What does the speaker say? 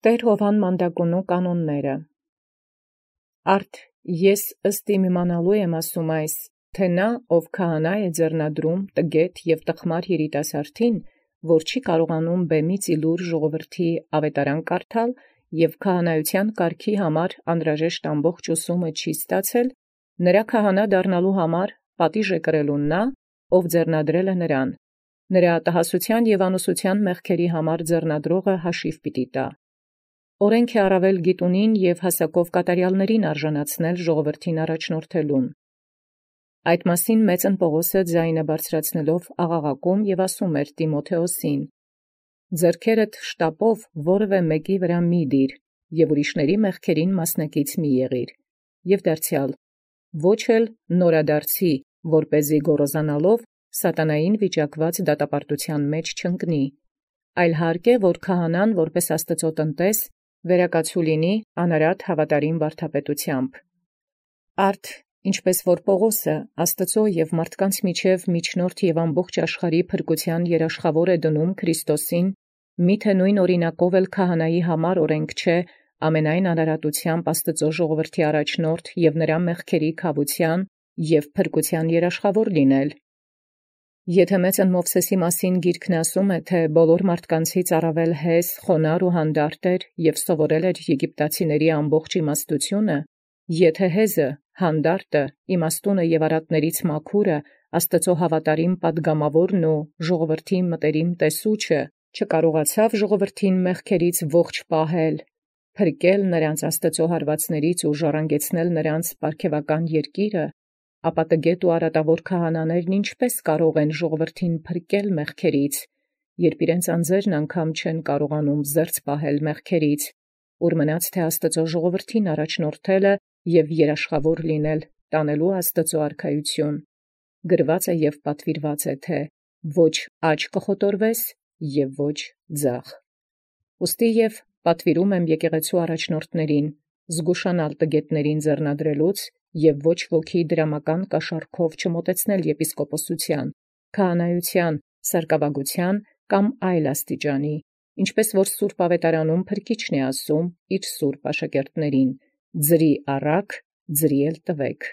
Տեր Հովհան Մանդակունու կանոնները։ Արդ ես ըստ իմ իմանալու եմ ասում այս, թե նա, ով քահանա է ձեռնադրում տգետ և տխմար երիտասարդին, որ չի կարողանում բեմից իլուր ժողովրդի ավետարան կարդալ և քահանայության կարգի համար անհրաժեշտ ամբողջ ուսումը չի ստացել, նրա քահանա դառնալու համար պատիժ է կրելուն նա, ով ձեռնադրել է նրան, նրա ատահասության և անուսության մեղքերի համար ձեռնադրողը հաշիվ պիտի տա։ Օրենք է առավել գիտունին և հասակով կատարյալներին արժանացնել ժողովրդին առաջնորդելուն։ Այդ մասին մեծն Պողոսը ձայնը բարձրացնելով աղաղակում և ասում էր Տիմոթեոսին. «Ձեռքերդ շտապով որևէ մեկի վրա մի դիր, և ուրիշների մեղքերին մասնակից մի եղիր, և դարձյալ ոչ էլ նորադարձի, որպեսզի գոռոզանալով սատանային վիճակված դատապարտութեան մեջ չընկնի, այլ հարկ է, որ քահանան որպես Աստուծոյ տնտես վերակացու լինի անարատ հավատարիմ վարդապետութեամբ։ Արդ ինչպես որ Պողոսը Աստուծոյ և մարդկանց միջև միջնորդ և ամբողջ աշխարհի փրկութեան երաշխավոր է դնում Քրիստոսին, միթե նույն օրինակով էլ քահանայի համար օրենք չէ ամենայն անարատութեամբ Աստուծոյ ժողովրդի առաջնորդ և նրա մեղքերի քավության և փրկութեան երաշխավոր լինել։ Եթե մեծն Մովսէսի մասին գիրքն ասում է, թե բոլոր մարդկանցից առավել հեզ, խոնարհ ու հանդարտ էր և սովորել էր եգիպտացիների ամբողջ իմաստությունը, եթե հեզը, հանդարտը, իմաստունը և արատներից մաքուրը, Աստուծոյ հավատարիմ պատգամաւորն ու ժողովրդի մտերիմ տեսուչը չկարողացավ ժողովրդին մեղքերից ողջ պահել, փրկել նրանց Աստուծոյ հարվածներից ու ժառանգեցնել նրանց պարգևական երկիրը, ապա տգետ ու արատավոր քահանաներն ինչպէս կարող են ժողովրդին փրկել մեղքերից, երբ իրենց անձերն անգամ չեն կարողանում զերծ պահել մեղքերից, ուր մնաց թե Աստուծոյ ժողովրդին առաջնորդելը և երաշխավոր լինել տանելու Աստուծոյ արքայություն։ Գրված է և պատվիրված է, թե ոչ աջ կխոտորվես և ոչ ձախ։ Ուստի և պատվիրում եմ եկեղեցու առաջնորդներին զգուշանալ տգետներին ձեռնադրելուց և ոչ ոքի դրամական կաշառքով չմոտեցնել եպիսկոպոսութեան, քահանայութեան, սարկավագութեան կամ այլ աստիճանի, ինչպես որ սուրբ ավետարանում փրկիչն է ասում իր սուրբ աշակերտներին. «Ձրի առաք, ձրի էլ տվեք»։